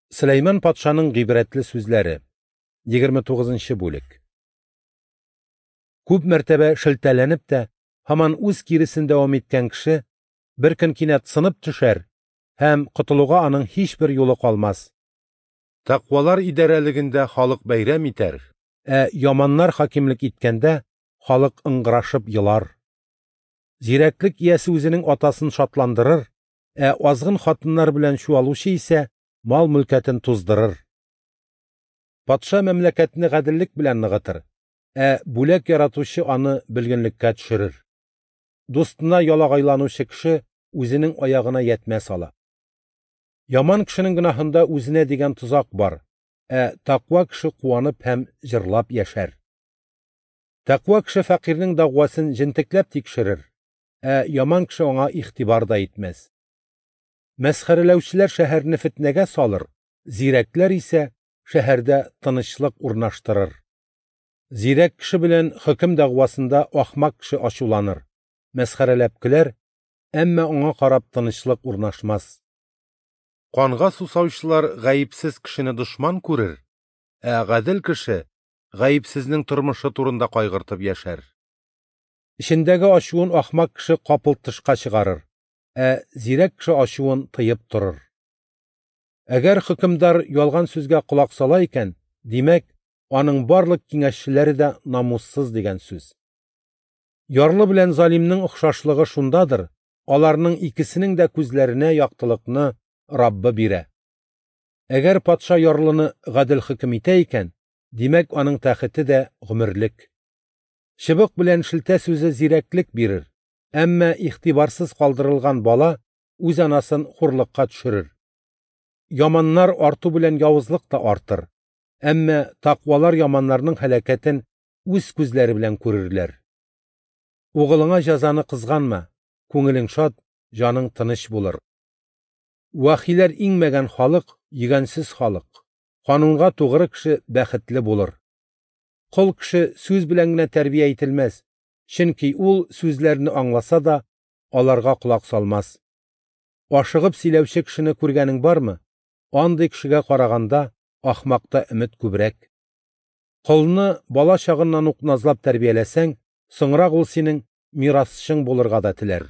Сөләйман патшаның гыйбрәтле сүзләре. 29 нчы бүлек. Күп мәртәбә шелтәләнеп тә, һаман үз киресен дәвам иткән кеше бер көн кинәт сынып төшәр һәм котылуга аның һичбер юлы калмас. Тәкъвалар идарәлегендә халык бәйрәм итәр, ә яманнар хакимлек иткәндә халык ыңгырашып елар. Зирәклек иясе үзенең атасын шатландырыр, ә азгын хатыннар белән чуалучы исә мал-мөлкәтен туздырыр. Патша мәмләкәтне гаделлек белән ныгытыр, ә бүләк яратучы аны бөлгенлеккә төшерер. Дустына ялагайланучы кеше үзенең аягына ятмә сала. Яман кешенең гөнаһында үзенә дигән тозак бар, ә тәкъва кеше куанып һәм җырлап яшәр. Тәкъва кеше фәкыйрьнең дәгъвасын җентекләп тикшерер, ә яман кеше аңа игътибар да итмәс. Мәсхәрәләүчеләр шәһәрне фетнәгә салыр, зирәкләр исә шәһәрдә тынычлык урнаштырыр. Зирәк кеше белән хөкем дәгъвасында ахмак кеше ачуланыр, мәсхәрәләп көләр, әмма аңа карап тынычлык урнашмас. Канга сусаучылар гаепсез кешене дошман күрер, ә гадел кеше гаепсезнең тормышы турында кайгыртып яшәр. Эчендәге ачуын ахмак кеше капылт тышка чыгарыр, ә зирәк кеше ачуын тыеп торыр. Әгәр хөкемдар ялган сүзгә колак сала икән, димәк, аның барлык киңәшчеләре дә намуссыз дигән сүз. Ярлы белән залимның охшашлыгы шундадыр, аларның икесенең дә күзләренә яктылыкны Раббы бирә. Әгәр патша ярлыны гадел хөкем итә икән, димәк, аның тәхете дә гомерлек. Чыбык белән шелтә сүзе зирәклек бирер, әмма игътибарсыз калдырылган бала үз анасын хурлыкка төшерер. Яманнар арту белән явызлык та артыр, әмма тәкъвалар яманнарның һәлакәтен үз күзләре белән күрерләр. Угылыңа җәзаны кызганма, күңелең шат, җаның тыныч булыр. Вахиләр иңмәгән халык, йөгәнсез халык. Канунга тугры кеше бәхетле булыр. Кол кеше сүз белән генә тәрбия ителмәс, чөнки ул сүзләрне аңласа да, аларга колак салмас. Ашыгып сөйләүче кешене күргәнең бармы? Андый кешегә караганда ахмакта өмет күбрәк. Колны бала чагыннан ук назлап тәрбияләсәң, соңрак ул синең мирасчың булырга да теләр.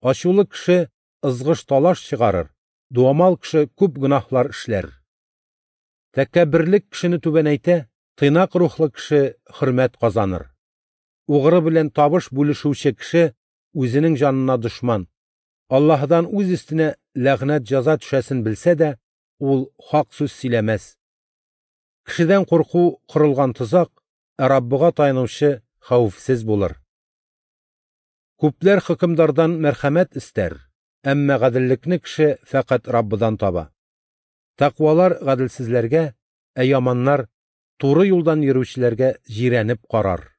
Ачулы кеше ызгыш талаш чыгарыр, дуамал кеше күп гөнаһлар эшләр. Тәкәбберлек кешене түбәнәйтә, тыйнак рухлы кеше хөрмәт казаныр. Угры белән табыш бүлешүче кеше үзенең җанына дошман. Аллаһыдан үз өстенә ләгънәт җәза төшәсен белсә дә, ул хак сүз сөйләмәс. Кешедән курку корылган тозак, ә Раббыга таянучы хәвефсез булыр. Күпләр хөкемдардан мәрхәмәт истәр, әмма гаделлекне кеше фәкать Раббыдан таба. Тәкъвалар гаделсезләргә, ә яманнар туры юлдан йөрүчеләргә җирәнеп карар.